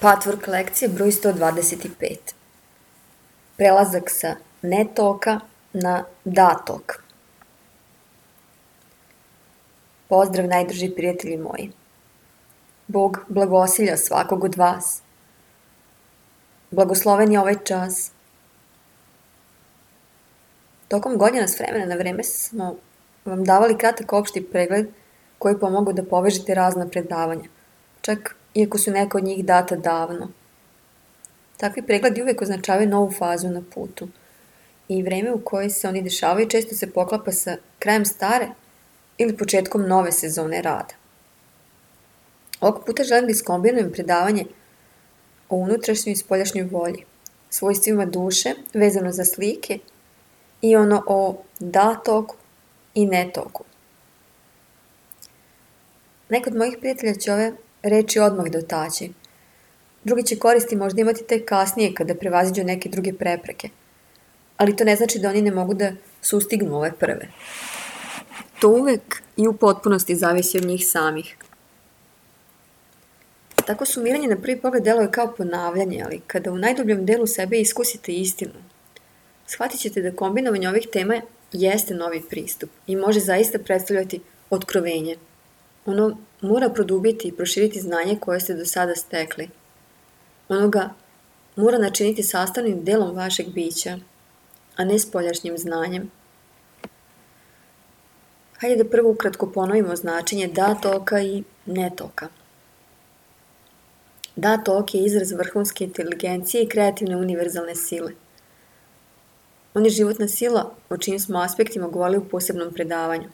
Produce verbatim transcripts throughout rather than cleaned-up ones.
Patchwork lekcije broj sto dvadeset pet. Prelazak sa ne toka na da tok. Pozdrav najdrži prijatelji moji. Bog blagosilja svakog od vas. Blagosloven je ovaj čas. Tokom godina s vremena na vreme smo vam davali kratak opšti pregled koji pomogu da povežete razna predavanja, čak iako su neka od njih data davno. Takvi pregledi uvek označavaju novu fazu na putu i vreme u kojoj se oni dešavaju često se poklapa sa krajem stare ili početkom nove sezone rada. Ovog puta želim da iskombinujem predavanje o unutrašnjoj i spoljašnjoj volji, svojstvima duše vezano za slike i ono o da toku i ne toku. Neko od mojih prijatelja će ove reči odmah dotaći. Drugi će koristi možda imati tek kasnije kada prevaziđu neke druge prepreke, ali to ne znači da oni ne mogu da sustignu ove prve. To uvek i u potpunosti zavisi od njih samih. Tako sumiranje na prvi pogled deluje kao ponavljanje, ali kada u najdubljem delu sebe iskusite istinu, shvatit ćete da kombinovanje ovih tema jeste novi pristup i može zaista predstavljati otkrovenje. Ono mora produbiti i proširiti znanje koje ste do sada stekli. Ono ga mora načiniti sastavnim delom vašeg bića, a ne spoljašnjim znanjem. Hajde da prvo ukratko ponovimo značenje da toka i ne toka. Da tok je izraz vrhunske inteligencije i kreativne univerzalne sile. On je životna sila o čijim smo aspektima govorili u posebnom predavanju.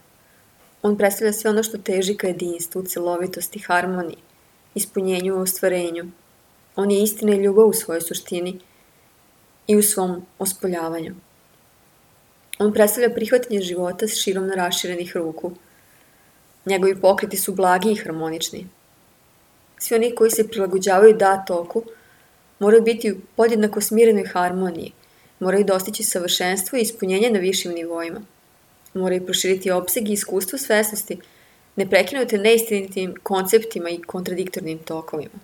On predstavlja sve ono što teži ka jedinstvu, celovitosti, harmoniji, ispunjenju i ostvarenju. On je istina i ljubav u svojoj suštini i u svom ospoljavanju. On predstavlja prihvatanje života s širom raširenih ruku. Njegovi pokreti su blagi i harmonični. Svi oni koji se prilagođavaju da toku moraju biti u podjednako smirenoj harmoniji, moraju dostići savršenstvo i ispunjenje na višim nivoima. Moraju proširiti opseg i iskustvo svesnosti, ne prekinute neistinitim konceptima i kontradiktornim tokovima.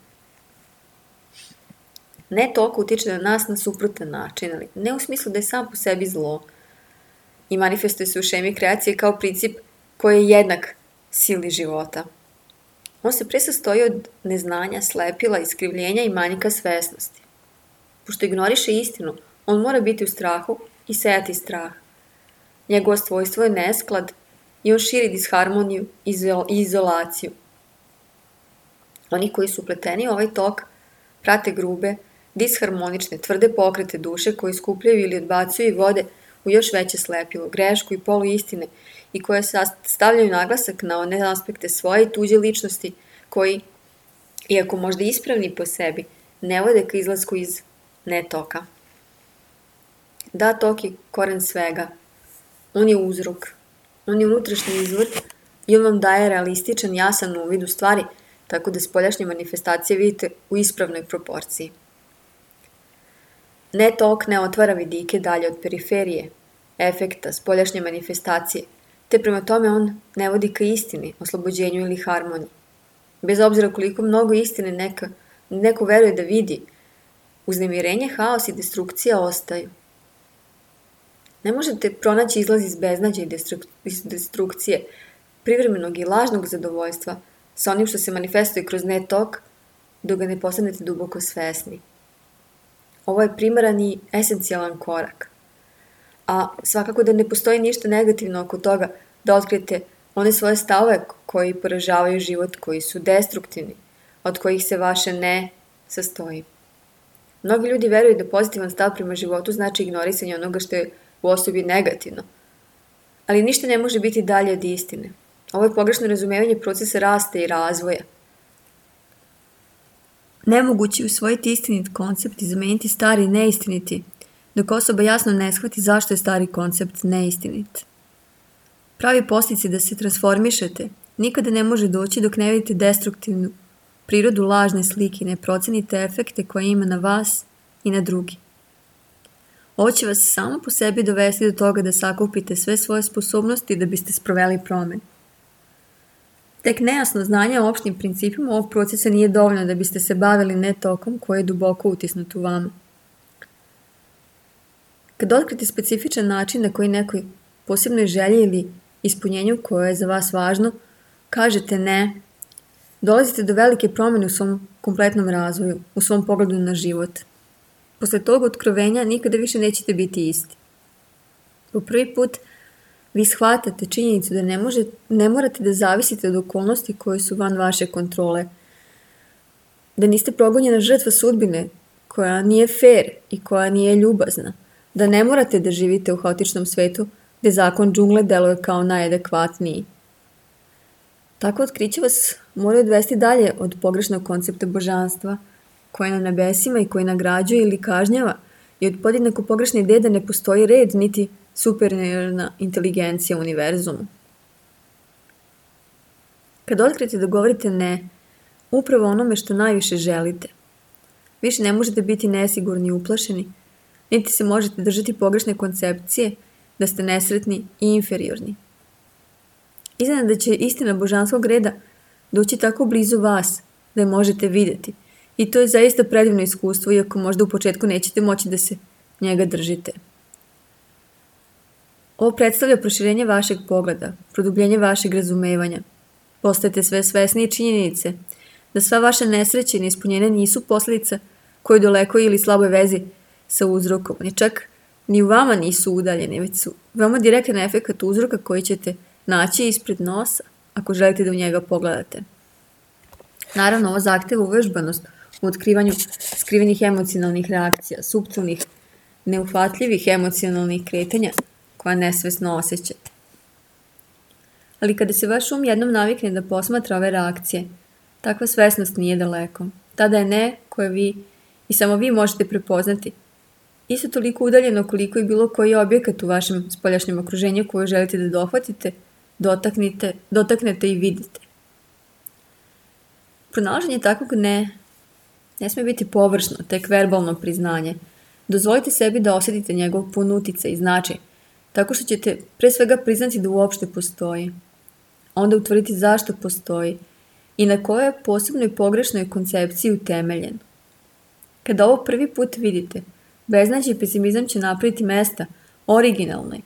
Ne tok utiče na nas na suprotan način, ali ne u smislu da je sam po sebi zlo i manifestuje se u šemi kreacije kao princip koji je jednak sili života. On se pre sastoji od neznanja, slepila, iskrivljenja i manjka svesnosti. Pošto ignoriše istinu, on mora biti u strahu i sejati strah. Njegovo svojstvo je nesklad i on širi disharmoniju i izolaciju. Oni koji su upleteni u ovaj tok prate grube, disharmonične, tvrde pokrete duše koji skupljaju ili odbacuju i vode u još veće slepilo, grešku i poluistine i koje stavljaju naglasak na one aspekte svoje i tuđe ličnosti koji, iako možda ispravni po sebi, ne vode ka izlasku iz netoka. Da tok je koren svega. On je uzrok. On je unutrašnji izvor i on vam daje realističan, jasan uvid u stvari, tako da spoljašnje manifestacije vidite u ispravnoj proporciji. Ne tok ne otvara vidike dalje od periferije, efekta, spoljašnje manifestacije, te prema tome on ne vodi ka istini, oslobođenju ili harmoniji. Bez obzira koliko mnogo istine neka, neko veruje da vidi, uznemirenje, haos i destrukcija ostaju. Ne možete pronaći izlaz iz beznađa i destrukcije, privremenog i lažnog zadovoljstva sa onim što se manifestuje kroz ne tok, dok ga ne postanete duboko svesni. Ovo je primaran i esencijalan korak. A svakako da ne postoji ništa negativno oko toga da otkrijete one svoje stavove koji poražavaju život, koji su destruktivni, od kojih se vaše ne sastoji. Mnogi ljudi veruju da pozitivan stav prema životu znači ignorisanje onoga što je u osobi negativno. Ali ništa ne može biti dalje od istine. Ovo je pogrešno razumevanje procesa rasta i razvoja. Nemoguće je usvojiti istinit koncept i zameniti stari neistiniti, dok osoba jasno ne shvati zašto je stari koncept neistinit. Pravi postici da se transformišete nikada ne može doći dok ne vidite destruktivnu prirodu lažne slike i ne procenite efekte koje ima na vas i na drugi. Ovo će vas samo po sebi dovesti do toga da sakupite sve svoje sposobnosti da biste sproveli promenu. Tek nejasno znanje o opštim principima ovog procesa nije dovoljno da biste se bavili ne tokom koji je duboko utisnut u vama. Kad otkrite specifičan način na koji nekoj posebnoj želji ili ispunjenju koje je za vas važno, kažete ne, dolazite do velike promjene u svom kompletnom razvoju, u svom pogledu na život. Posle tog otkrovenja nikada više nećete biti isti. Po prvi put vi shvatate činjenicu da ne, može, ne morate da zavisite od okolnosti koje su van vaše kontrole, da niste progonjena žrtva sudbine koja nije fair i koja nije ljubazna, da ne morate da živite u haotičnom svetu gde zakon džungle deluje kao najadekvatniji. Tako otkriće vas moraju odvesti dalje od pogrešnog koncepta božanstva, koje na nebesima i koji nagrađuje ili kažnjava, i od podjednako pogrešne ideje da ne postoji red niti superiorna inteligencija u univerzumu. Kad otkrite da govorite ne, upravo onome što najviše želite, više ne možete biti nesigurni i uplašeni, niti se možete držati pogrešne koncepcije da ste nesretni i inferiorni. Iznenada će istina božanskog reda doći tako blizu vas da je možete vidjeti, i to je zaista predivno iskustvo, iako možda u početku nećete moći da se njega držite. Ovo predstavlja proširenje vašeg pogleda, produbljenje vašeg razumevanja. Postajete sve svesnije činjenice da sva vaša nesreće i neispunjenja nisu posljedica koje daleko ili slaboj vezi sa uzrokom, ni čak ni u vama nisu udaljene, već su veoma direktan efekt uzroka koji ćete naći ispred nosa ako želite da u njega pogledate. Naravno, ovo zahteva uvežbanost u otkrivanju skrivenih emocionalnih reakcija, suptilnih, neuhvatljivih emocionalnih kretanja koja nesvesno osjećate. Ali kada se vaš um jednom navikne da posmatra ove reakcije, takva svesnost nije daleko. Tada je ne koje vi i samo vi možete prepoznati isto toliko udaljeno koliko i bilo koji objekat u vašem spoljašnjem okruženju koju želite da dohvatite, dotaknete, dotaknete i vidite. Pronalaženje takvog ne ne smije biti površno, tek verbalno priznanje. Dozvolite sebi da osjetite njegov pun uticaj i značaj, tako što ćete pre svega priznati da uopšte postoji. Onda utvrditi zašto postoji i na kojoj posebnoj pogrešnoj koncepciji utemeljen. Kada ovo prvi put vidite, beznađe i pesimizam će napraviti mesta originalnoj,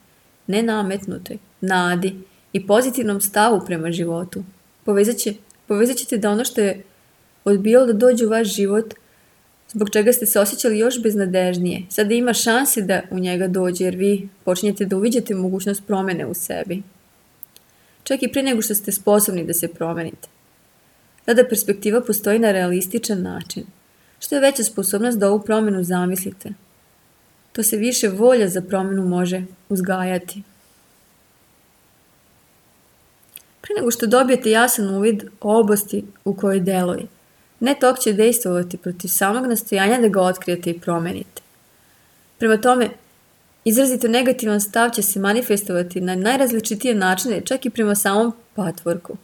nenametnutoj, nadi i pozitivnom stavu prema životu. Povezat, će, povezat ćete da ono što je odbijalo da dođe u vaš život, zbog čega ste se osjećali još beznadežnije, sada ima šanse da u njega dođe, jer vi počinjete da uviđate mogućnost promjene u sebi. Čak i prije nego što ste sposobni da se promenite. Tada perspektiva postoji na realističan način. Što je veća sposobnost da ovu promjenu zamislite, to se više volja za promjenu može uzgajati. Prije nego što dobijete jasan uvid o oblasti u kojoj deluje, ne tok će dejstvovati protiv samog nastojanja da ga otkrijete i promenite. Prema tome, izrazito negativan stav će se manifestovati na najrazličitije načine, čak i prema samom patvorku.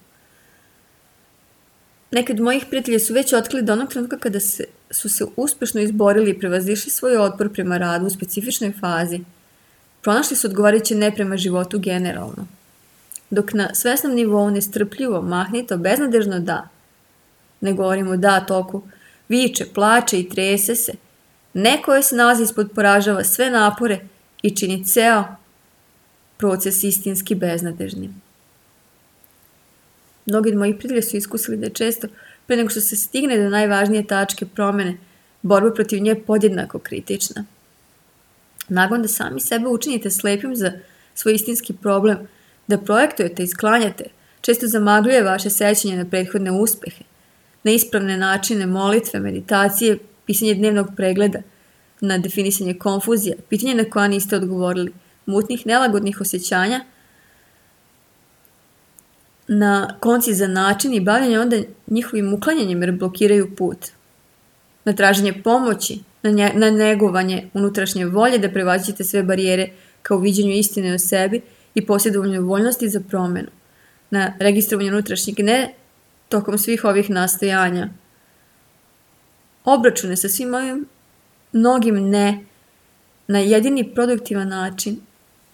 Neki od mojih prijatelja su već otkrili da onog trenutka kada se, su se uspešno izborili i prevazišli svoj otpor prema radu u specifičnoj fazi, pronašli su odgovarajuće ne prema životu generalno. Dok na svesnom nivou nestrpljivo, mahnito, beznadežno da, ne govorimo da toku, viče, plače i trese se, neko je se nalazi ispod poražava sve napore i čini ceo proces istinski beznadežnim. Mnogi od mojih prijatelja su iskusili da je često, pre nego što se stigne do najvažnije tačke promjene, borba protiv nje podjednako kritična. Nagon da sami sebe učinite slepim za svoj istinski problem, da projektujete i sklanjate, često zamagljuje vaše sećanje na prethodne uspehe, na ispravne načine molitve, meditacije, pisanje dnevnog pregleda, na definisanje konfuzija, pitanje na koja niste odgovorili, mutnih, nelagodnih osjećanja, na koncizan način i bavljanje onda njihovim uklanjanjem jer blokiraju put, na traženje pomoći, na, nje, na negovanje unutrašnje volje da prevaziđete sve barijere kao viđenju istine o sebi i posjedovanju voljnosti za promjenu, na registrovanje unutrašnjeg ne tokom svih ovih nastojanja. Obračune sa svim ovim mnogim ne na jedini produktivan način,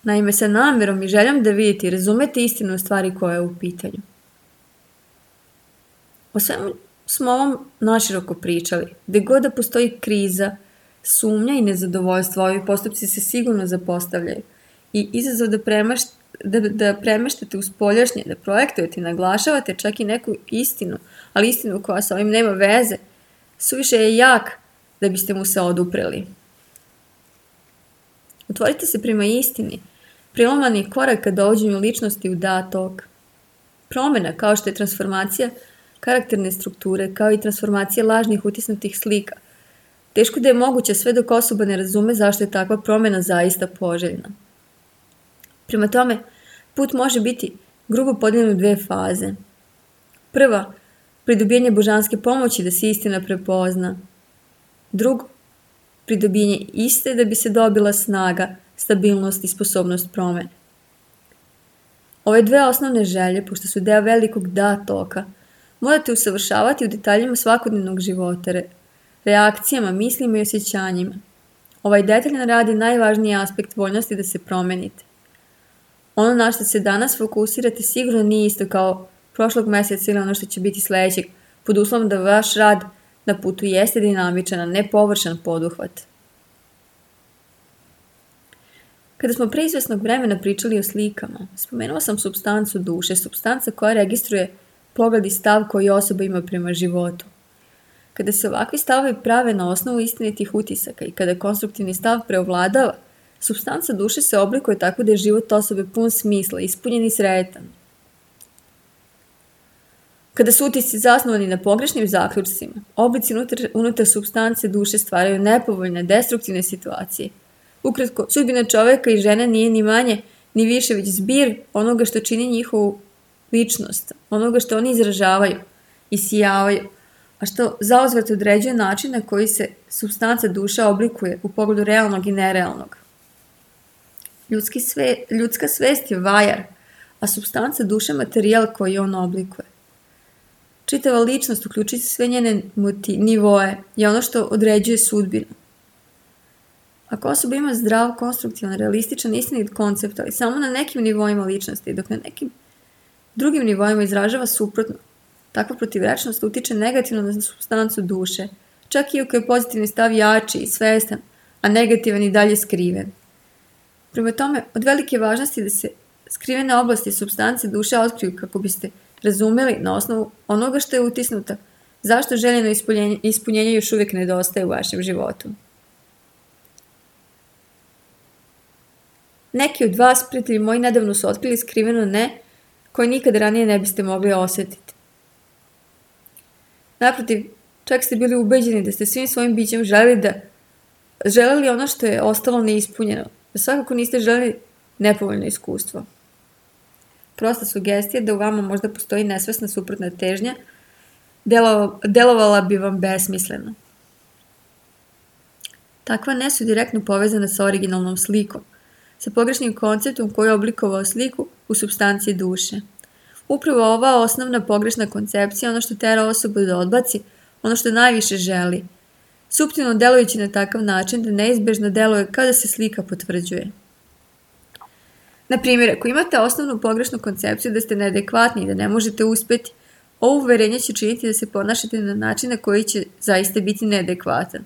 naime sa namjerom i željom da vidite i razumete istinu stvari koja je u pitanju. O svemu smo ovom naširoko pričali. Gde god da postoji kriza, sumnja i nezadovoljstvo, ovi postupci se sigurno zapostavljaju. I izazov da, premaš, da, da premeštate u spoljašnje, da projektujete i naglašavate čak i neku istinu, ali istinu koja sa ovim nema veze, suviše je jak da biste mu se odupreli. Otvorite se prema istini. Priloman je korak ka dovođenju ličnosti u datok. Promjena, kao što je transformacija karakterne strukture, kao i transformacija lažnih utisnutih slika. Teško da je moguće sve dok osoba ne razume zašto je takva promjena zaista poželjna. Prema tome, put može biti grubo podijeljen u dve faze. Prva, pridobijanje božanske pomoći da se istina prepozna. Drugo, pridobijanje iste da bi se dobila snaga, stabilnost i sposobnost promjene. Ove dve osnovne želje, pošto su deo velikog da toka, morate usavršavati u detaljima svakodnevnog života, reakcijama, mislima i osjećanjima. Ovaj detaljan rad je najvažniji aspekt voljnosti da se promenite. Ono na što se danas fokusirate sigurno nije isto kao prošlog mjeseca ili ono što će biti sljedećeg, pod uslovom da vaš rad na putu jeste dinamičan, a ne površan poduhvat. Kada smo pre izvesnog vremena pričali o slikama, spomenuo sam supstancu duše, supstanca koja registruje pogled i stav koji osoba ima prema životu. Kada se ovakvi stavovi prave na osnovu istinitih utisaka i kada konstruktivni stav preovladava, supstanca duše se oblikuje tako da je život osobe pun smisla, ispunjen i sretan. Kada su utisci zasnovani na pogrešnim zaključcima, oblici unutar, unutar supstance duše stvaraju nepovoljne, destruktivne situacije. Ukratko, sudbina čoveka i žene nije ni manje, ni više, već zbir onoga što čini njihovu ličnost, onoga što oni izražavaju i sijavaju, a što zauzvrat određuje način na koji se supstanca duša oblikuje u pogledu realnog i nerealnog. Ljudski sve, ljudska svest je vajar, a supstanca duše materijal koji on oblikuje. Čitava ličnost, uključujući sve njene moti, nivoe, je ono što određuje sudbinu. Ako osoba ima zdrav, konstruktivan, realističan, istinit koncept, ali samo na nekim nivoima ličnosti, dok na nekim drugim nivoima izražava suprotno, takva protivrečnost utiče negativno na supstancu duše, čak i ako je pozitivni stav jači i svestan, a negativan i dalje skriven. Prema tome, od velike važnosti da se skrivene oblasti supstance duše otkriju kako biste razumeli na osnovu onoga što je utisnuto, zašto željeno ispunjenje, ispunjenje još uvijek nedostaje u vašem životu. Neki od vas, prijatelji moji, nedavno su otkrili skriveno ne, koje nikad ranije ne biste mogli osjetiti. Naprotiv, čak ste bili ubeđeni da ste svim svojim bićem želeli da želeli ono što je ostalo neispunjeno, da svakako niste želeli nepovoljno iskustvo. Prosta sugestija da u vama možda postoji nesvesna suprotna težnja, delo, delovala bi vam besmisleno. Takva ne su direktno povezana sa originalnom slikom, sa pogrešnim konceptom koji je oblikovao sliku u supstanciji duše. Upravo ova osnovna pogrešna koncepcija ono što tera osobu da odbaci, ono što najviše želi, suptilno delujući na takav način da neizbežno deluje kao da se slika potvrđuje. Na primjer, ako imate osnovnu pogrešnu koncepciju da ste neadekvatni i da ne možete uspjeti, ovo uverenje će činiti da se ponašate na način na koji će zaista biti neadekvatan.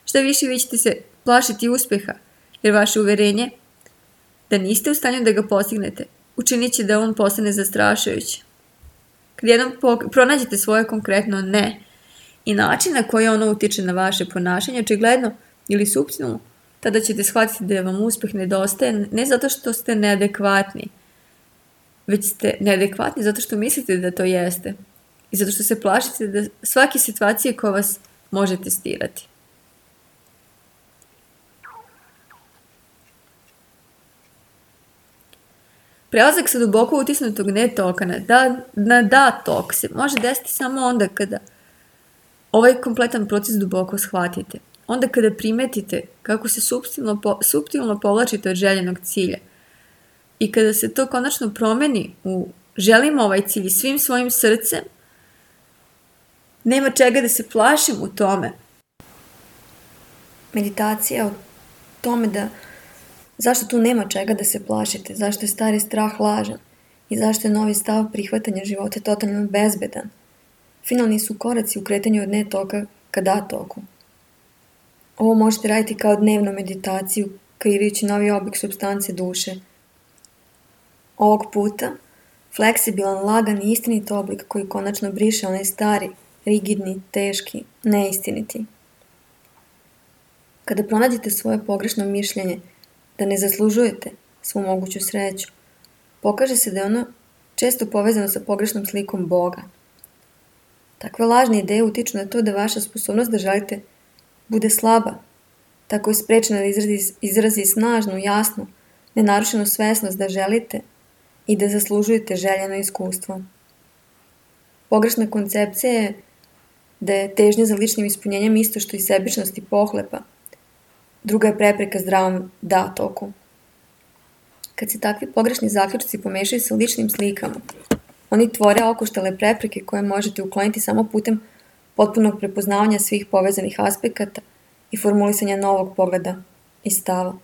Šta više, vi ćete se plašiti uspjeha, jer vaše uverenje da niste u stanju da ga postignete, učinit će da on postane zastrašujući. Kad jednom pronađete svoje konkretno ne i način na koji ono utiče na vaše ponašanje, očigledno ili suptilno, tada ćete shvatiti da vam uspjeh nedostaje ne zato što ste neadekvatni, već ste neadekvatni zato što mislite da to jeste i zato što se plašite da svake situacije koja vas može testirati. Prelazak sa duboko utisnutog ne toka na da, na da tok se može desiti samo onda kada ovaj kompletan proces duboko shvatite. Onda kada primetite kako se suptilno, po, suptilno povlačite od željenog cilja i kada se to konačno promeni u želimo ovaj cilj svim svojim srcem, nema čega da se plašim u tome. Meditacija o tome da zašto tu nema čega da se plašite, zašto je stari strah lažan i zašto je novi stav prihvatanja života totalno bezbedan. finalni su koraci u kretanju od ne toka ka da toku. Ovo možete raditi kao dnevnu meditaciju, kreirajući novi oblik supstance duše. Ovog puta, fleksibilan, lagan i istinit oblik koji konačno briše onaj stari, rigidni, teški, neistiniti. Kada pronađete svoje pogrešno mišljenje da ne zaslužujete svu moguću sreću, pokaže se da je ono često povezano sa pogrešnom slikom Boga. Takve lažne ideje utiču na to da vaša sposobnost da želite bude slaba, tako je sprečena da izrazi, izrazi snažnu, jasnu, nenarušenu svesnost da želite i da zaslužujete željeno iskustvo. Pogrešna koncepcija je da je težnja za ličnim ispunjenjem isto što i sebičnost i pohlepa. Druga je prepreka zdravom da toku. Kad se takvi pogrešni zaključci pomešaju sa ličnim slikama, oni tvore okoštale prepreke koje možete ukloniti samo putem potpunog prepoznavanja svih povezanih aspekata i formulisanja novog pogleda i stava.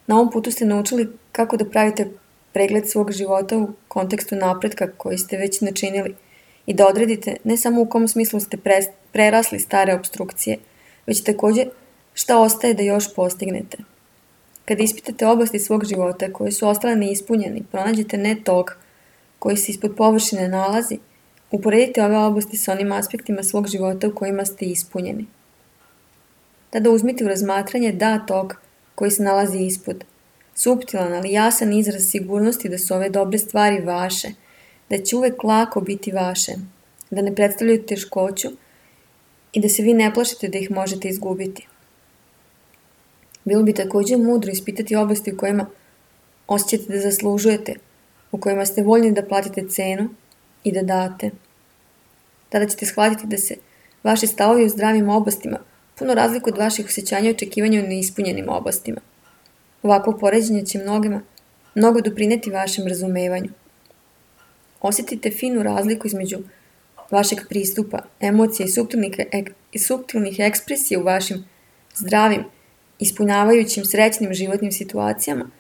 Na ovom putu ste naučili kako da pravite pregled svog života u kontekstu napretka koji ste već načinili i da odredite ne samo u kom smislu ste prerasli stare obstrukcije, već također šta ostaje da još postignete. Kada ispitate oblasti svog života koje su ostale neispunjeni, pronađete ne tok koji se ispod površine nalazi, uporedite ove oblasti sa onim aspektima svog života u kojima ste ispunjeni. Tada uzmite u razmatranje da tok koji se nalazi ispod, suptilan ali jasan izraz sigurnosti da su ove dobre stvari vaše, da će uvek lako biti vaše, da ne predstavljaju teškoću i da se vi ne plašite da ih možete izgubiti. Bilo bi također mudro ispitati oblasti u kojima osjećate da zaslužujete, u kojima ste voljni da platite cenu i da date. Tada ćete shvatiti da se vaši stavovi u zdravim oblastima puno razliku od vaših osjećanja i očekivanja u neispunjenim oblastima. Ovakvo poređenje će mnogima mnogo doprineti vašem razumevanju. Osjetite finu razliku između vašeg pristupa, emocija i suptilnih, ek, i suptilnih ekspresija u vašim zdravim, ispunjavajućim srećnim životnim situacijama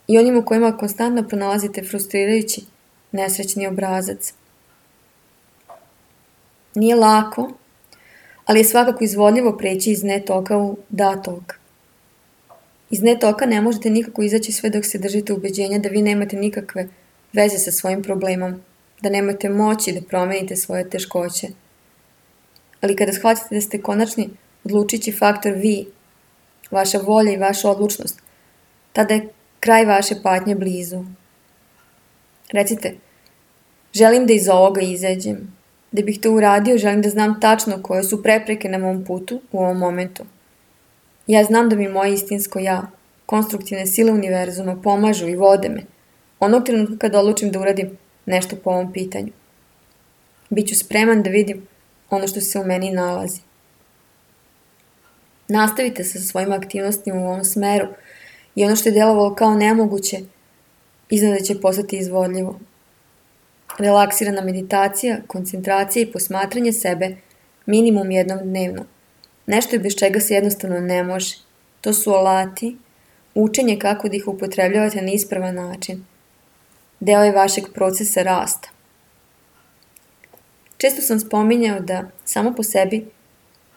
i onim u kojima konstantno pronalazite frustrirajući, nesrećni obrazac. Nije lako, ali je svakako izvodljivo preći iz ne toka u da tok. Iz ne toka ne možete nikako izaći sve dok se držite ubeđenja da vi nemate nikakve veze sa svojim problemom, da nemate moći da promenite svoje teškoće. Ali kada shvatite da ste konačni odlučići faktor vi, vaša volja i vaša odlučnost, tada je kraj vaše patnje blizu. Recite, želim da iz ovoga izađem. Da bih to uradio, želim da znam tačno koje su prepreke na mom putu u ovom momentu. Ja znam da mi moje istinsko ja, konstruktivne sile univerzuma pomažu i vode me, onog trenutka kada odlučim da uradim nešto po ovom pitanju. Biću spreman da vidim ono što se u meni nalazi. Nastavite se sa svojim aktivnostima u ovom smeru i ono što je delovalo kao nemoguće, iznad će postati izvodljivo. Relaksirana meditacija, koncentracija i posmatranje sebe minimum jednom dnevno. Nešto je bez čega se jednostavno ne može. To su alati, učenje kako da ih upotrebljavate na ispravan način. Deo je vašeg procesa rasta. Često sam spominjao da samo po sebi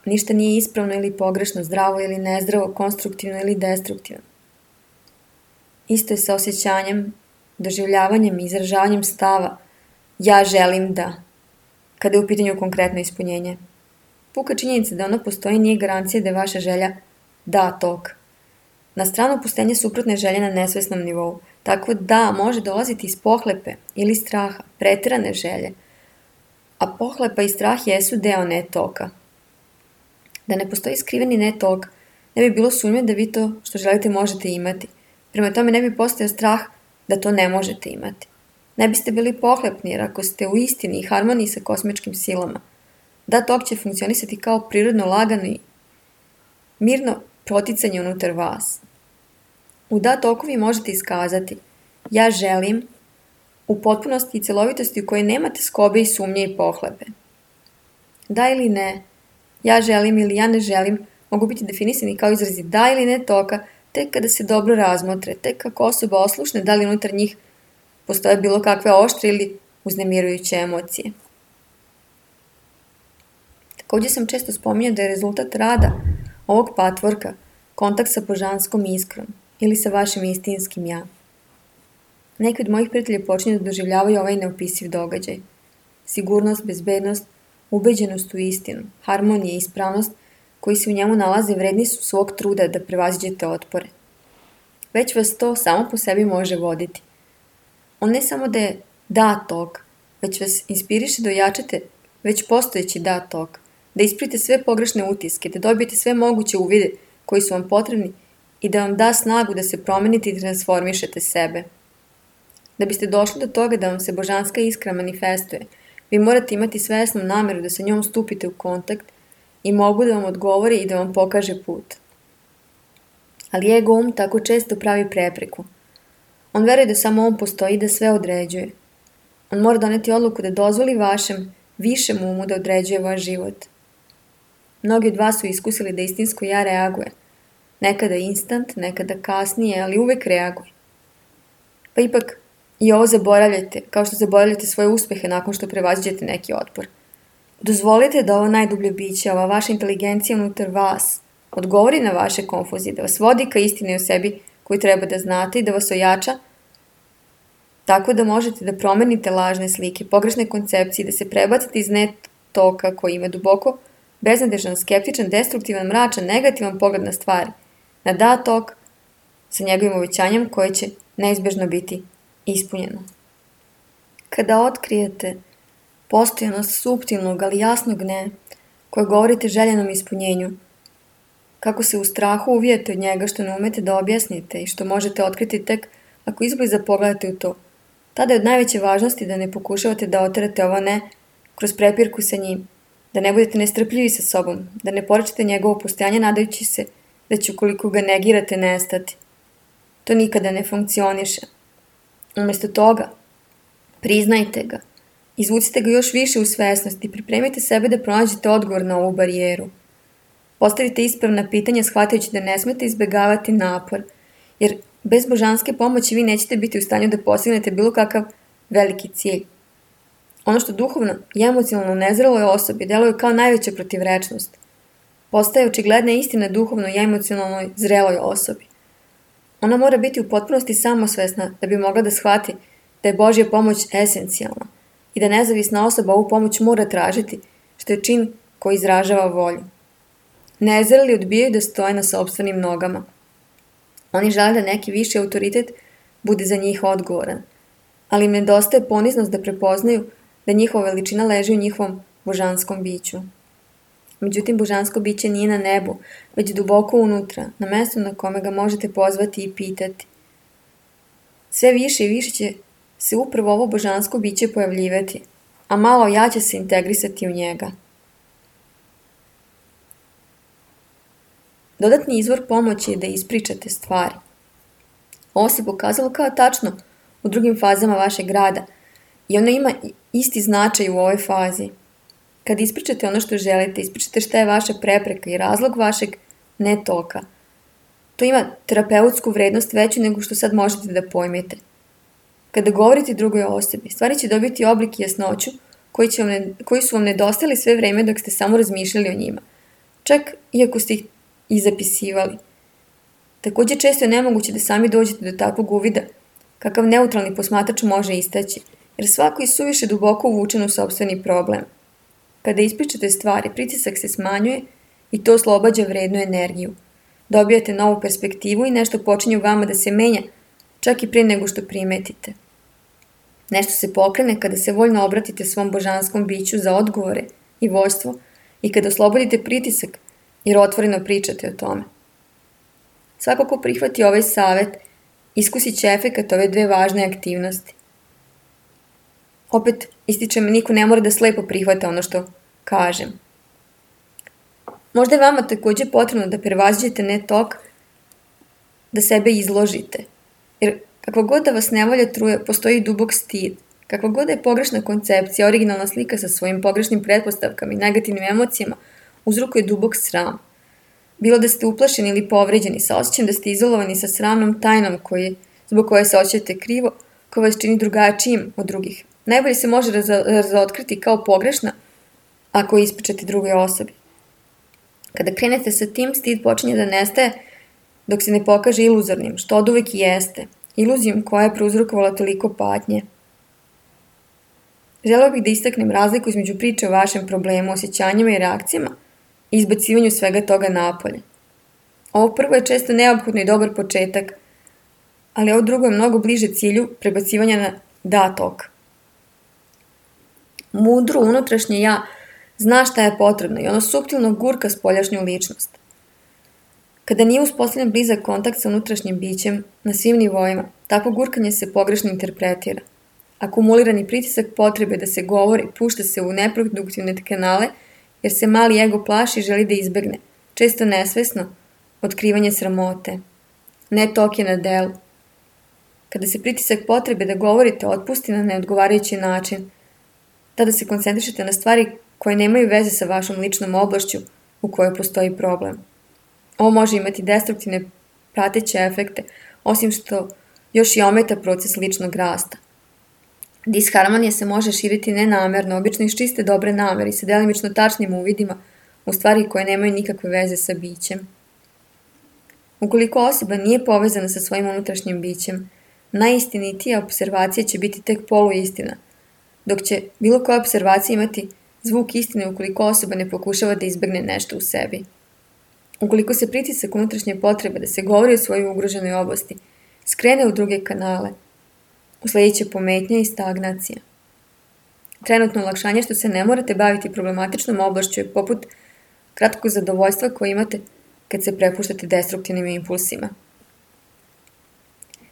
ništa nije ispravno ili pogrešno, zdravo ili nezdravo, konstruktivno ili destruktivno. Isto je sa osjećanjem, doživljavanjem i izražavanjem stava ja želim da, kada je u pitanju konkretno ispunjenje. Puka činjenica da ono postoji nije garancija da je vaša želja da tok. Na stranu pustenja suprotne želje na nesvesnom nivou, tako da može dolaziti iz pohlepe ili straha, preterane želje, a pohlepa i strah jesu deo ne toka. Da ne postoji skriveni ne tok, ne bi bilo sumnje da vi to što želite možete imati. Prema tome ne bi postojao strah da to ne možete imati. Ne biste bili pohlepni jer ako ste u istini i harmoniji sa kosmičkim silama, da tok će funkcionisati kao prirodno lagano i mirno proticanje unutar vas. U da toku vi možete iskazati ja želim u potpunosti i celovitosti u kojoj nemate skobe i sumnje i pohlepe. Da ili ne, ja želim ili ja ne želim mogu biti definisani kao izrazi da ili ne toka tek kada se dobro razmotre, tek kako osoba oslušne da li unutar njih postoje bilo kakve oštre ili uznemirujuće emocije. Također sam često spominjao da je rezultat rada ovog patvorka kontakt sa božanskom iskrom ili sa vašim istinskim ja. Neki od mojih prijatelja počinju da doživljavaju ovaj neopisiv događaj. Sigurnost, bezbednost, ubeđenost u istinu, harmonija i ispravnost koji se u njemu nalaze vredni su svog truda da prevaziđete otpore. Već vas to samo po sebi može voditi. On ne samo da je da tok, već vas inspiriše da ojačate već postojeći da tok, da isprite sve pogrešne utiske, da dobijete sve moguće uvide koji su vam potrebni i da vam da snagu da se promenite i transformišete sebe. Da biste došli do toga da vam se božanska iskra manifestuje, vi morate imati svesnu nameru da sa njom stupite u kontakt i mogu da vam odgovori i da vam pokaže put. Ali ego um tako često pravi prepreku. On veruje da samo on postoji i da sve određuje. On mora doneti odluku da dozvoli vašem, višem umu da određuje vaš život. Mnogi od vas su iskusili da istinsko ja reaguje. Nekada instant, nekada kasnije, ali uvek reaguje. Pa ipak i ovo zaboravljate, kao što zaboravljate svoje uspehe nakon što prevaziđete neki otpor. Dozvolite da ovo najdublje biće, ova vaša inteligencija unutar vas, odgovori na vaše konfuzije, da vas vodi ka istini o sebi koju treba da znate i da vas ojača, tako da možete da promenite lažne slike, pogrešne koncepcije, da se prebacite iz net toka koji ima duboko, beznadežan, skeptičan, destruktivan, mračan, negativan pogled na stvari, na da tok sa njegovim uvećanjem koje će neizbežno biti ispunjeno. Kada otkrijete postojanost suptilnog, ali jasnog ne, koje govorite željenom ispunjenju, kako se u strahu uvijete od njega što ne umete da objasnite i što možete otkriti tek ako izbliza pogledate u to, tada je od najveće važnosti da ne pokušavate da oterate ovo ne kroz prepirku sa njim, da ne budete nestrpljivi sa sobom, da ne porečete njegovo postojanje nadajući se da će ukoliko ga negirate nestati. To nikada ne funkcioniše. Umjesto toga, priznajte ga, izvucite ga još više u svesnost i pripremite sebe da pronađete odgovor na ovu barijeru. Postavite ispravna pitanja shvatajući da ne smete izbegavati napor, jer bez božanske pomoći vi nećete biti u stanju da postignete bilo kakav veliki cilj. Ono što duhovno i emocionalno nezreloj osobi deluje kao najveća protivrečnost, postaje očigledna istina duhovno i emocionalnoj zreloj osobi. Ona mora biti u potpunosti samosvesna da bi mogla da shvati da je Božja pomoć esencijalna i da nezavisna osoba ovu pomoć mora tražiti, što je čin koji izražava volju. Nezreli odbijaju da stoje na sopstvenim nogama. Oni žele da neki viši autoritet bude za njih odgovoran, ali im nedostaje poniznost da prepoznaju da njihova veličina leži u njihovom božanskom biću. Međutim, božansko biće nije na nebu, već duboko unutra, na mestu na kome ga možete pozvati i pitati. Sve više i više će se upravo ovo božansko biće pojavljivati, a malo ja će se integrisati u njega. Dodatni izvor pomoći je da ispričate stvari. Ovo se pokazalo kao tačno u drugim fazama vašeg rada i ono ima isti značaj u ovoj fazi. Kad ispričate ono što želite, ispričate šta je vaša prepreka i razlog vašeg netoka. To ima terapeutsku vrednost veću nego što sad možete da pojmete. Kada govorite drugoj osobi, stvari će dobiti oblik i jasnoću koji, će vam ne, koji su vam nedostali sve vreme dok ste samo razmišljali o njima. Čak iako ste ih i zapisivali. Također često je nemoguće da sami dođete do takvog uvida, kakav neutralni posmatrač može istaći, jer svako je suviše duboko uvučen u sopstveni problem. Kada ispričate stvari, pritisak se smanjuje i to oslobađa vrednu energiju. Dobijate novu perspektivu i nešto počinje u vama da se menja, čak i prije nego što primetite. Nešto se pokrene kada se voljno obratite svom božanskom biću za odgovore i vođstvo i kada oslobodite pritisak jer otvoreno pričate o tome. Svako ko prihvati ovaj savjet, iskusit će efekat ove dve važne aktivnosti. Opet, ističem, niko ne mora da slepo prihvata ono što kažem. Možda je vama također potrebno da prevaziđete ne tok, da sebe izložite. Jer kakva god da vas nevolja truje, postoji dubok stid. Kakva god da je pogrešna koncepcija, originalna slika sa svojim pogrešnim pretpostavkama i negativnim emocijama, uzrokuje dubok sram. Bilo da ste uplašeni ili povređeni, sa osjećajem da ste izolovani sa sramnom tajnom koji, zbog koje se osjećate krivo, koja vas čini drugačijim od drugih, najbolje se može raza- razotkriti kao pogrešna ako ispričate drugoj osobi. Kada krenete sa tim, stid počinje da nestaje dok se ne pokaže iluzornim, što od uvek i jeste, iluzijom koja je prouzrokovala toliko patnje. Želeo bih da istaknem razliku između priče o vašem problemu, osjećanjima i reakcijama i izbacivanju svega toga napolje. Ovo prvo je često neophodno i dobar početak, ali ovo drugo je mnogo bliže cilju prebacivanja na da tok. Mudro unutrašnje ja zna šta je potrebno i ono suptilno gurka spoljašnju ličnost. Kada nije uspostavljen blizak kontakt sa unutrašnjim bićem na svim nivoima, takvo gurkanje se pogrešno interpretira. Akumulirani pritisak potrebe da se govori pušta se u neproduktivne kanale jer se mali ego plaši i želi da izbegne, često nesvesno, otkrivanje sramote. Ne tok je na delu. Kada se pritisak potrebe da govorite otpusti na neodgovarajući način, tada se koncentrišete na stvari koje nemaju veze sa vašom ličnom oblašću u kojoj postoji problem. Ovo može imati destruktivne prateće efekte, osim što još i ometa proces ličnog rasta. Disharmonija se može širiti nenamerno, obično iz čiste dobre namere i sa delimično tačnim uvidima u stvari koje nemaju nikakve veze sa bićem. Ukoliko osoba nije povezana sa svojim unutrašnjim bićem, najistinitija observacija će biti tek poluistina, dok će bilo koja observacija imati zvuk istine ukoliko osoba ne pokušava da izbegne nešto u sebi. Ukoliko se pritisak unutrašnje potrebe da se govori o svojoj ugroženoj oblasti skrene u druge kanale, usledit će pometnja i stagnacija. Trenutno olakšanje što se ne morate baviti problematičnom oblašću je poput kratkog zadovoljstva koje imate kad se prepuštate destruktivnim impulsima.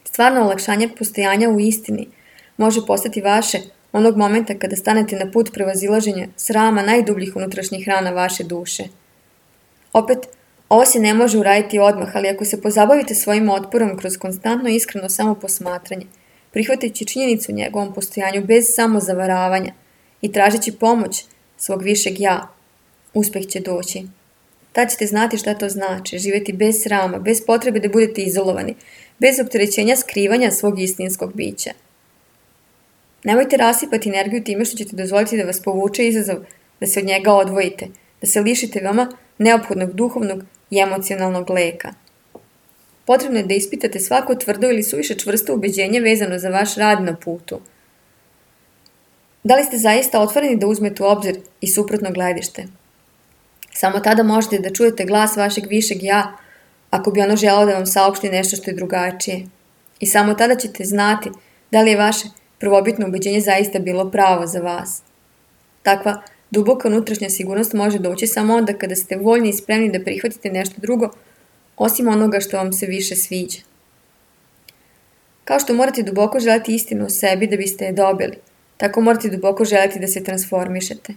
Stvarno olakšanje postojanja u istini može postati vaše onog momenta kada stanete na put prevazilaženja srama najdubljih unutrašnjih rana vaše duše. Opet, ovo se ne može uraditi odmah, ali ako se pozabavite svojim otporom kroz konstantno iskreno samoposmatranje, prihvatajući činjenicu u njegovom postojanju bez samozavaravanja i tražeći pomoć svog višeg ja, uspeh će doći. Tad ćete znati šta to znači, živjeti bez srama, bez potrebe da budete izolovani, bez opterećenja skrivanja svog istinskog bića. Nemojte rasipati energiju time što ćete dozvoliti da vas povuče izazov, da se od njega odvojite, da se lišite veoma neophodnog duhovnog i emocionalnog leka. Potrebno je da ispitate svako tvrdo ili suviše čvrsto ubeđenje vezano za vaš rad na putu. Da li ste zaista otvoreni da uzmete u obzir i suprotno gledište? Samo tada možete da čujete glas vašeg višeg ja, ako bi ono želelo da vam saopšti nešto što je drugačije. I samo tada ćete znati da li je vaše prvobitno ubeđenje zaista bilo pravo za vas. Takva duboka unutrašnja sigurnost može doći samo onda kada ste voljni i spremni da prihvatite nešto drugo, osim onoga što vam se više sviđa. Kao što morate duboko želeti istinu o sebi da biste je dobili, tako morate duboko želeti da se transformišete.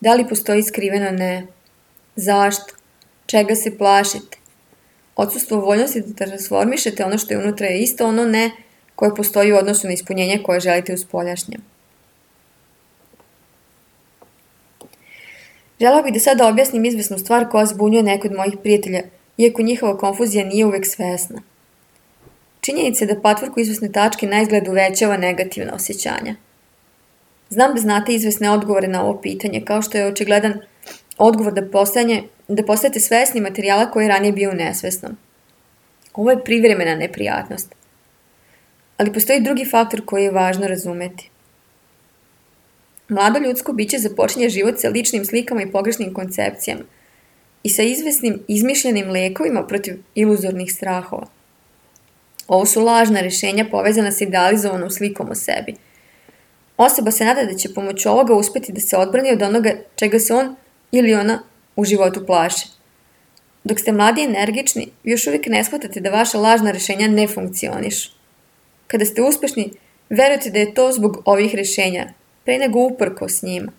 Da li postoji skriveno ne? Zašto? Čega se plašite? Odsustvo voljnosti da transformišete ono što je unutra je isto ono ne koje postoji u odnosu na ispunjenje koje želite uspoljašnjem. Želeo bih da sada objasnim izvesnu stvar koja zbunjuje neko od mojih prijatelja, iako njihova konfuzija nije uvek svesna. Činjenica je da patvorku izvesne tačke na izgled uvećava negativna osjećanja. Znam da znate izvesne odgovore na ovo pitanje, kao što je očigledan odgovor da, postajanje, da postajete svesni materijala koji je ranije bio nesvesnom. Ovo je privremena neprijatnost. Ali postoji drugi faktor koji je važno razumeti. Mlado ljudsko biće započinje život sa ličnim slikama i pogrešnim koncepcijama i sa izvesnim izmišljenim lekovima protiv iluzornih strahova. Ovo su lažna rešenja povezana sa idealizovanom slikom o sebi. Osoba se nada da će pomoću ovoga uspeti da se odbrani od onoga čega se on ili ona u životu plaše. Dok ste mladi i energični, vi još uvijek ne shvatate da vaša lažna rešenja ne funkcionišu. Kada ste uspešni, verujete da je to zbog ovih rešenja, pre nego uprko s njima.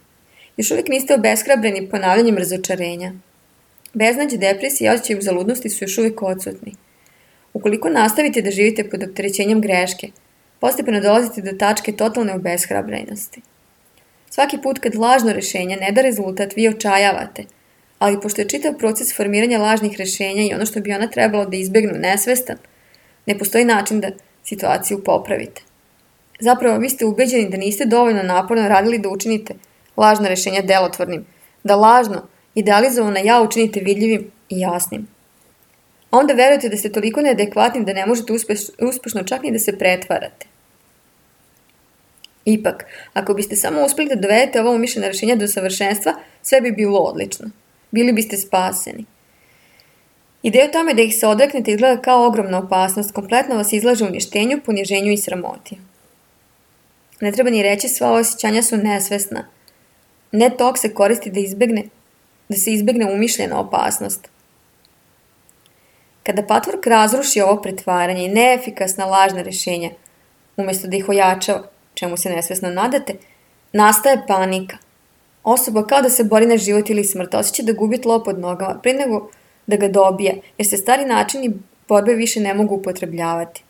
Još uvijek niste obeshrabreni ponavljanjem razočarenja. Beznađe, depresija i osjećaj uzaludnosti su još uvijek odsutni. Ukoliko nastavite da živite pod opterećenjem greške, postepeno dolazite do tačke totalne obeshrabrenosti. Svaki put kad lažno rešenje ne da rezultat, vi očajavate, ali pošto je čitav proces formiranja lažnih rešenja i ono što bi ona trebalo da izbegnu nesvestan, ne postoji način da situaciju popravite. Zapravo, vi ste ubeđeni da niste dovoljno naporno radili da učinite lažna rešenja delotvornim, da lažno, idealizovano ja učinite vidljivim i jasnim. A onda verujete da ste toliko neadekvatni da ne možete uspeš, uspešno čak ni da se pretvarate. Ipak, ako biste samo uspeli da dovedete ovo umišljena rešenja do savršenstva, sve bi bilo odlično. Bili biste spaseni. Ideja o tome da ih se odreknete izgleda kao ogromna opasnost, kompletno vas izlaže uništenju, poniženju i sramoti. Ne treba ni reći, sva osjećanja su nesvesna. Ne tok se koristi da, izbegne, da se izbegne umišljena opasnost. Kada patvork razruši ovo pretvaranje i neefikasna lažna rešenja, umjesto da ih ojačava, čemu se nesvesno nadate, nastaje panika. Osoba kao da se bori na život ili smrt, osjeća da gubi tlo pod nogama, prije nego da ga dobije, jer se stari načini borbe više ne mogu upotrebljavati.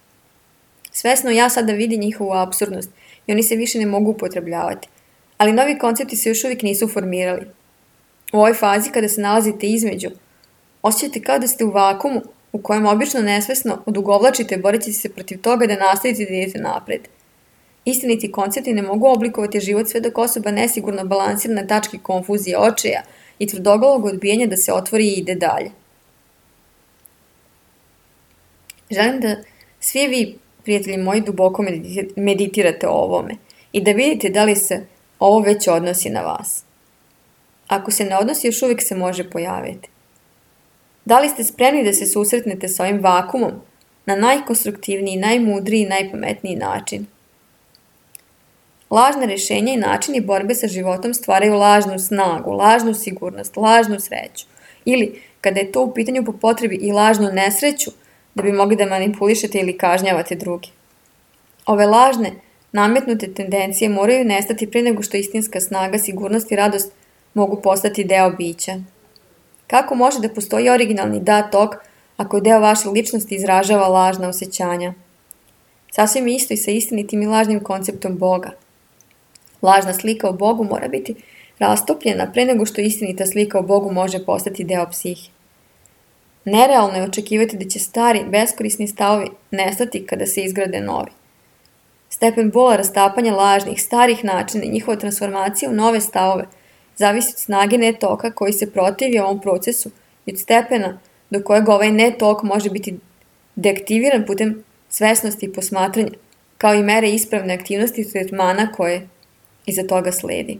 Svesno ja sada vidi njihovu apsurdnost i oni se više ne mogu upotrebljavati, ali novi koncepti se još uvijek nisu formirali. U ovoj fazi kada se nalazite između, osjećate kao da ste u vakumu u kojem obično nesvesno odugovlačite boreći se protiv toga da nastavite da idete napred. Istiniti koncepti ne mogu oblikovati život sve dok osoba nesigurno balansira na tački konfuzije, očaja i tvrdoglavog odbijanja da se otvori i ide dalje. Želim da svi vi, prijatelji moji, duboko meditirate o ovome i da vidite da li se ovo već odnosi na vas. Ako se ne odnosi, još uvijek se može pojaviti. Da li ste spremni da se susretnete s ovim vakumom na najkonstruktivniji, najmudriji i najpametniji način? Lažna rešenja i načini borbe sa životom stvaraju lažnu snagu, lažnu sigurnost, lažnu sreću. Ili, kada je to u pitanju po potrebi, i lažnu nesreću, da bi mogli da manipulišete ili kažnjavate druge. Ove lažne, nametnute tendencije moraju nestati pre nego što istinska snaga, sigurnost i radost mogu postati deo bića. Kako može da postoji originalni da tok ako je deo vaše ličnosti izražava lažna osjećanja? Sasvim isto i sa istinitim i lažnim konceptom Boga. Lažna slika o Bogu mora biti rastopljena pre nego što istinita slika o Bogu može postati deo psihe. Nerealno je očekivati da će stari, beskorisni stavovi nestati kada se izgrade novi. Stepen bola rastapanja lažnih, starih načina i njihova transformacija u nove stavove zavisi od snage netoka koji se protivi ovom procesu i od stepena do kojeg ovaj netok može biti deaktiviran putem svesnosti i posmatranja, kao i mere ispravne aktivnosti i tretmana koje iza toga sledi.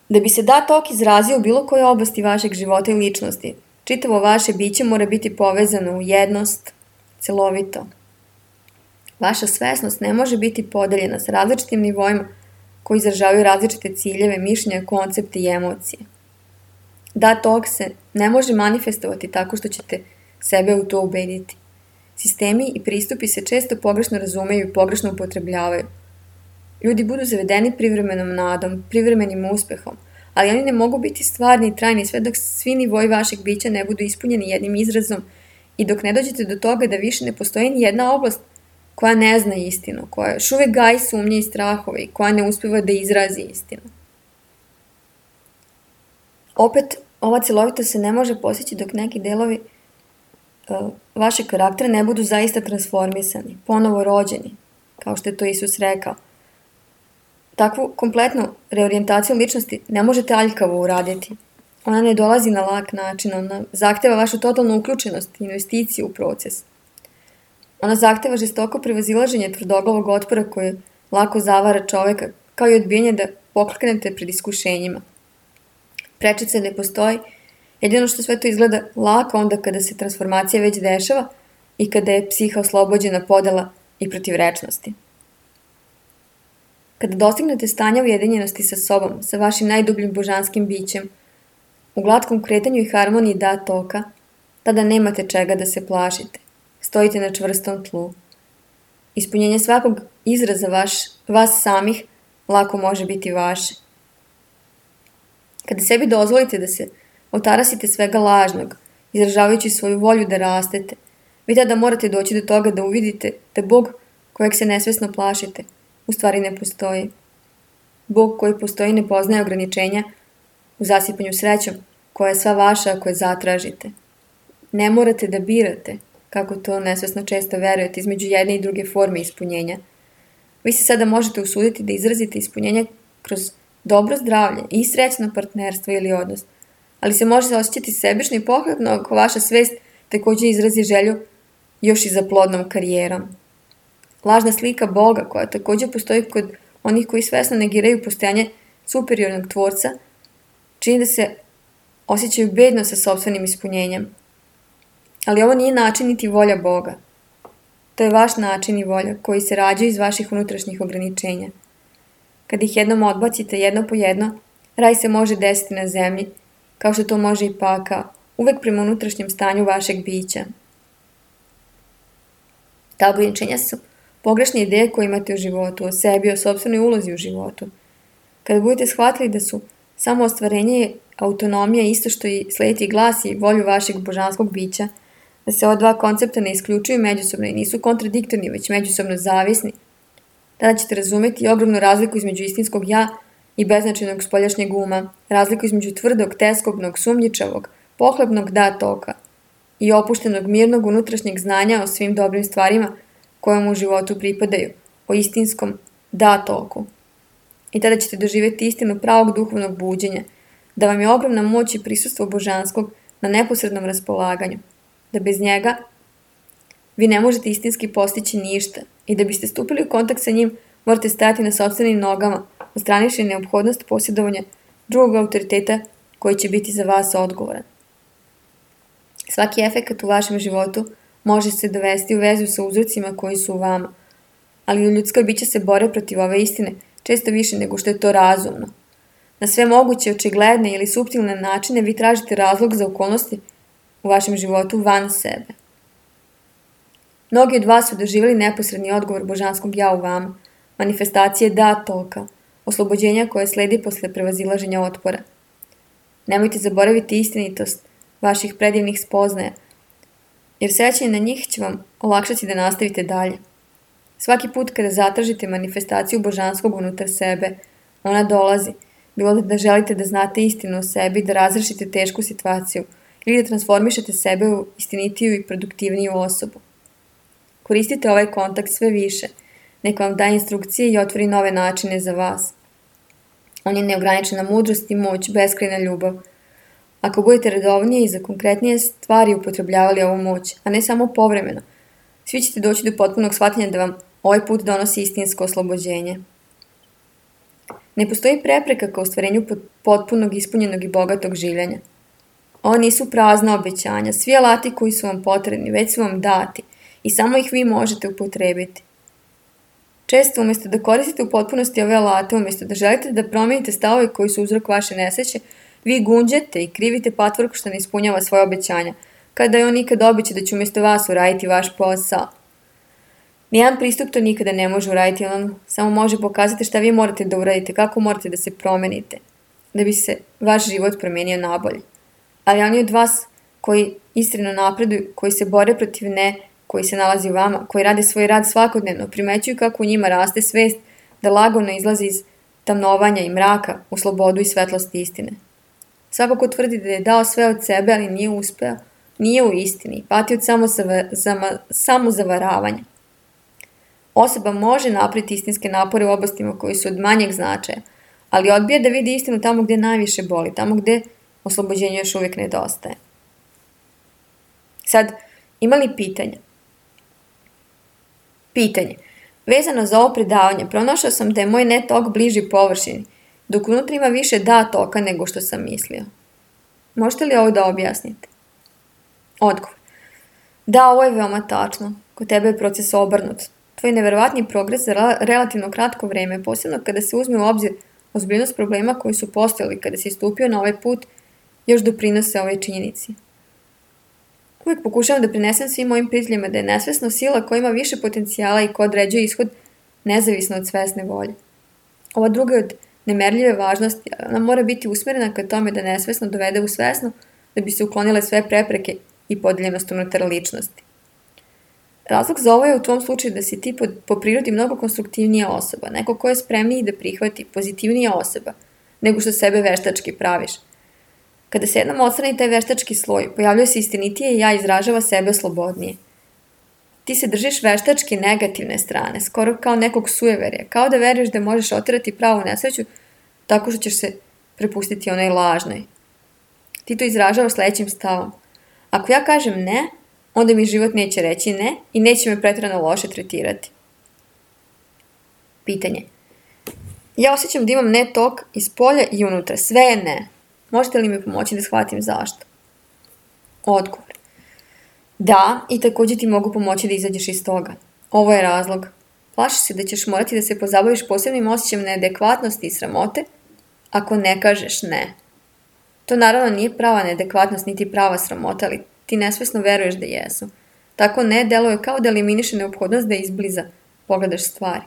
Da bi se da tok izrazio u bilo kojoj oblasti vašeg života i ličnosti, čitavo vaše biće mora biti povezano u jednost, celovito. Vaša svesnost ne može biti podeljena sa različitim nivoima koji izražavaju različite ciljeve, mišljenja, koncepte i emocije. Da tok se ne može manifestovati tako što ćete sebe u to ubediti. Sistemi i pristupi se često pogrešno razumeju i pogrešno upotrebljavaju. Ljudi budu zavedeni privremenom nadom, privremenim uspehom, ali oni ne mogu biti stvarni i trajni sve dok svi nivoji vašeg bića ne budu ispunjeni jednim izrazom i dok ne dođete do toga da više ne postoji ni jedna oblast koja ne zna istinu, koja još uvek gaji sumnje i strahove i koja ne uspeva da izrazi istinu. Opet, ova celovitost se ne može postići dok neki delovi uh, vašeg karaktera ne budu zaista transformisani, ponovo rođeni, kao što je to Isus rekao. Takvu kompletnu reorijentaciju ličnosti ne možete aljkavo uraditi. Ona ne dolazi na lak način, ona zahteva vašu totalnu uključenost i investiciju u proces. Ona zahteva žestoko prevazilaženje tvrdoglavog otpora koje lako zavara čoveka, kao i odbijanje da pokleknete pred iskušenjima. Prečice ne postoji, jedino što sve to izgleda lako onda kada se transformacija već dešava i kada je psiha oslobođena podela i protivrečnosti. Kada dostignete stanja ujedinjenosti sa sobom, sa vašim najdubljim božanskim bićem, u glatkom kretanju i harmoniji da toka, tada nemate čega da se plašite. Stojite na čvrstom tlu. Ispunjenje svakog izraza vaš, vas samih lako može biti vaše. Kada sebi dozvolite da se otarasite svega lažnog, izražavajući svoju volju da rastete, vi tada morate doći do toga da uvidite da Bog kojeg se nesvesno plašite u stvari ne postoji. Bog koji postoji ne poznaje ograničenja u zasipanju srećom koja je sva vaša ako je zatražite. Ne morate da birate kako to nesvesno često verujete, između jedne i druge forme ispunjenja. Vi se sada možete usuditi da izrazite ispunjenje kroz dobro zdravlje i srećno partnerstvo ili odnos, ali se može osjećati sebično i pohlepno ako vaša svest također izrazi želju još i za plodnom karijerom. Lažna slika Boga, koja također postoji kod onih koji svesno negiraju postojanje superiornog tvorca, čini da se osjećaju bedno sa sopstvenim ispunjenjem. Ali ovo nije način niti volja Boga. To je vaš način i volja koji se rađaju iz vaših unutrašnjih ograničenja. Kad ih jednom odbacite jedno po jedno, raj se može desiti na zemlji, kao što to može i pakao, uvek prema unutrašnjem stanju vašeg bića. Ta ograničenja su pogrešne ideje koje imate u životu, o sebi, o sopstvenoj ulozi u životu. Kada budete shvatili da su samo ostvarenje i autonomija isto što i slediti glas i volju vašeg božanskog bića, da se ova dva koncepta ne isključuju međusobno i nisu kontradiktorni, već međusobno zavisni, tada ćete razumeti ogromnu razliku između istinskog ja i beznačajnog spoljašnjeg uma, razliku između tvrdog, teskobnog, sumnjičavog, pohlepnog da toka i opuštenog, mirnog unutrašnjeg znanja o svim dobrim stvarima koje mu u životu pripadaju, o istinskom da toku. I tada ćete doživjeti istinu pravog duhovnog buđenja, da vam je ogromna moć i prisustvo božanskog na neposrednom raspolaganju, da bez njega vi ne možete istinski postići ništa i da biste stupili u kontakt sa njim morate stajati na sopstvenim nogama, ostranivši neophodnost posjedovanja drugog autoriteta koji će biti za vas odgovoran. Svaki efekat u vašem životu može se dovesti u vezu sa uzrocima koji su u vama, ali ljudska bića se bore protiv ove istine često više nego što je to razumno. Na sve moguće, očigledne ili suptilne načine vi tražite razlog za okolnosti u vašem životu van sebe. Mnogi od vas su doživjeli neposredni odgovor božanskog ja u vama, manifestacije da toka, oslobođenja koje sledi posle prevazilaženja otpora. Nemojte zaboraviti istinitost vaših predivnih spoznaja, jer sećanje na njih će vam olakšati da nastavite dalje. Svaki put kada zatražite manifestaciju božanskog unutar sebe, ona dolazi, bilo da želite da znate istinu o sebi, da razrešite tešku situaciju ili da transformišete sebe u istinitiju i produktivniju osobu. Koristite ovaj kontakt sve više, neka vam daje instrukcije i otvori nove načine za vas. On je neograničena mudrost i moć, beskrajna ljubav. Ako budete redovnije i za konkretnije stvari upotrebljavali ovu moć, a ne samo povremeno, svi ćete doći do potpunog shvatanja da vam ovaj put donosi istinsko oslobođenje. Ne postoji prepreka ka ostvarenju potpunog, ispunjenog i bogatog življenja. Ovo nisu prazna obećanja, svi alati koji su vam potrebni već su vam dati i samo ih vi možete upotrebiti. Često, umjesto da koristite u potpunosti ove alate, umjesto da želite da promijenite stavove koji su uzrok vaše nesreće, vi gunđete i krivite patvorku što ne ispunjava svoje obećanja, kada je on nikad obeća da će umjesto vas uraditi vaš posao. Nijedan pristup to nikada ne može uraditi, on samo može pokazati šta vi morate da uradite, kako morate da se promenite, da bi se vaš život promijenio nabolje. Ali oni od vas koji iskreno napreduju, koji se bore protiv ne, koji se nalazi u vama, koji rade svoj rad svakodnevno, primećuju kako u njima raste svest da lagano izlazi iz tamnovanja i mraka u slobodu i svetlost istine. Svako ko tvrdi da je dao sve od sebe, ali nije uspeo, nije u istini, pati od samozavaravanja. Osoba može napraviti istinske napore u oblastima koji su od manjeg značaja, ali odbija da vidi istinu tamo gdje najviše boli, tamo gdje oslobođenje još uvijek nedostaje. Sad, ima li pitanja? Pitanje. Vezano za ovo predavanje, pronašao sam da je moj net tok bliži površini, dok unutra ima više da toka nego što sam mislio. Možete li ovo da objasnite? Odgovor. Da, ovo je veoma tačno. Kod tebe je proces obrnut. Tvoj neverovatni progres za relativno kratko vreme, posebno kada se uzme u obzir ozbiljnost problema koji su postojali kada si stupio na ovaj put, još doprinose ovoj činjenici. Uvijek pokušavam da prenesem svim mojim prijateljima da je nesvesna sila koja ima više potencijala i koja određuje ishod nezavisno od svesne volje. Ova druga je od nemerljive važnosti, ona mora biti usmjerena ka tome da nesvesno dovede u svesno da bi se uklonile sve prepreke i podeljenost unutar ličnosti. Razlog za ovo je u tvom slučaju da si ti po, po prirodi mnogo konstruktivnija osoba, neko ko je spremniji da prihvati, pozitivnija osoba, nego što sebe veštački praviš. Kada se jednom odstrani taj veštački sloj, pojavljuje se istinitije i ja izražava sebe slobodnije. Ti se držiš veštački negativne strane, skoro kao nekog sujeverja, kao da veruješ da možeš oterati pravu nesreću tako što ćeš se prepustiti onoj lažnoj. Ti to izražavaš sledećim stavom. Ako ja kažem ne, onda mi život neće reći ne i neće me pretrano loše tretirati. Pitanje. Ja osjećam da imam ne tok iz polja i unutra, sve je ne. Možete li mi pomoći da shvatim zašto? Odgovor. Da, i također ti mogu pomoći da izađeš iz toga. Ovo je razlog. Plašiš se da ćeš morati da se pozabaviš posebnim osjećajem neadekvatnosti i sramote ako ne kažeš ne. To naravno nije prava neadekvatnost niti prava sramota, ali ti nesvesno veruješ da jesu. Tako ne deluje kao da eliminiše neophodnost da izbliza pogledaš stvari.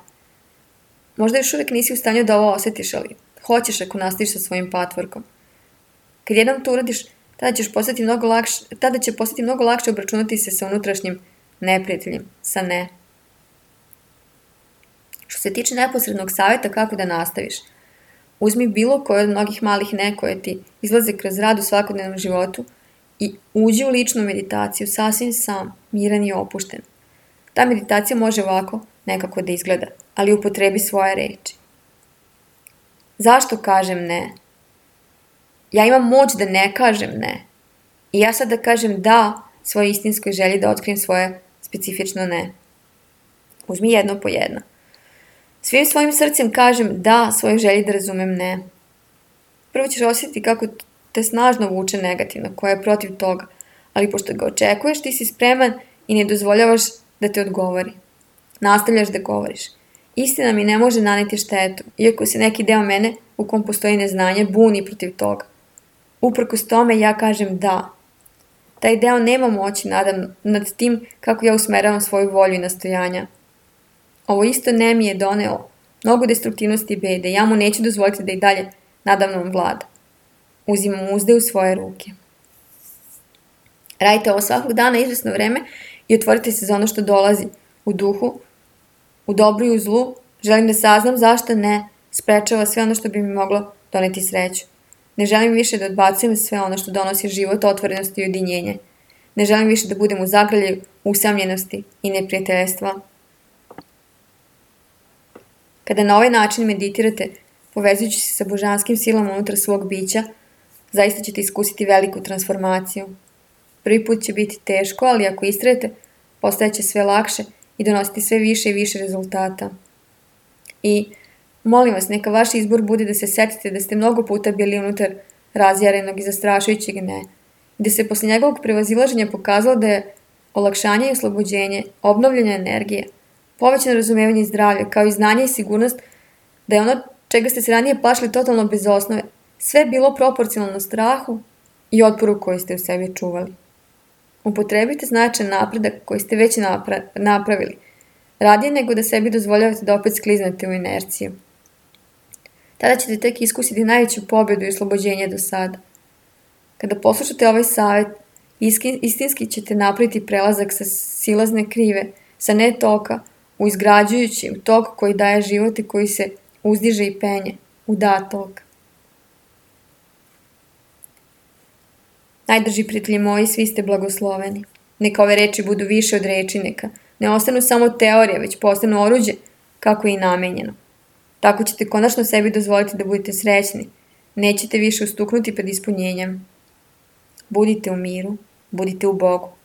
Možda još uvijek nisi u stanju da ovo osjetiš, ali hoćeš ako nastaviš sa svojim patvorkom. Kad jednom to uradiš, tada, ćeš postati mnogo lakše, tada će postati mnogo lakše obračunati se sa unutrašnjim neprijateljem, sa ne. Što se tiče neposrednog savjeta kako da nastaviš, uzmi bilo koje od mnogih malih ne koje ti izlaze kroz rad u svakodnevnom životu i uđi u ličnu meditaciju sasvim sam, miran i opušten. Ta meditacija može ovako nekako da izgleda, ali upotrebi svoje reči. Zašto kažem ne? Ja imam moć da ne kažem ne. I ja sad da kažem da svojoj istinskoj želji da otkrijem svoje specifično ne. Uzmi jedno po jedno. Svim svojim srcem kažem da svojoj želji da razumem ne. Prvo ćeš osjetiti kako te snažno vuče negativno, koja je protiv toga, ali pošto ga očekuješ, ti si spreman i ne dozvoljavaš da te odgovori. Nastavljaš da govoriš. Istina mi ne može naneti štetu, iako se neki deo mene, u kom postoji neznanje, buni protiv toga. Uprkos tome ja kažem da. Taj deo nema moći nadam, nad tim kako ja usmeravam svoju volju i nastojanja. Ovo isto ne mi je donelo mnogo destruktivnosti i bede. Ja mu neću dozvoliti da i dalje nadamnom vlada. Uzimam uzde u svoje ruke. Radite ovo svakog dana izvesno vreme i otvorite se za ono što dolazi u duhu, u dobru i u zlu. Želim da saznam zašto ne sprečava sve ono što bi mi moglo doneti sreću. Ne želim više da odbacujem sve ono što donosi život, otvorenost i ujedinjenje. Ne želim više da budem u zagrljaju, usamljenosti i neprijateljstva. Kada na ovaj način meditirate, povezujući se sa božanskim silama unutar svog bića, zaista ćete iskusiti veliku transformaciju. Prvi put će biti teško, ali ako istrajete, postajeće sve lakše i donositi sve više i više rezultata. I molim vas, neka vaš izbor bude da se setite da ste mnogo puta bili unutar razjarenog i zastrašujućeg ne, i da se posle njegovog prevazilaženja pokazalo da je olakšanje i oslobođenje, obnovljena energije, povećano razumevanje i zdravlje, kao i znanje i sigurnost da je ono čega ste se ranije plašili totalno bez osnove, sve bilo proporcionalno strahu i otporu koji ste u sebi čuvali. Upotrebite značajan napredak koji ste već napra- napravili, radije nego da sebi dozvoljavate da opet skliznete u inerciju. Tada ćete tek iskusiti najveću pobedu i oslobođenje do sada. Kada poslušate ovaj savjet, istinski ćete napraviti prelazak sa silazne krive, sa ne toka, u izgrađujućim tok koji daje život i koji se uzdiže i penje, u da tok. Najdrži prijatelji moji, svi ste blagosloveni. Neka ove reči budu više od reči, neka ne ostanu samo teorije, već postanu oruđe kako je i namenjeno. Tako ćete konačno sebi dozvoliti da budete srećni. Nećete više ustuknuti pred ispunjenjem. Budite u miru, budite u Bogu.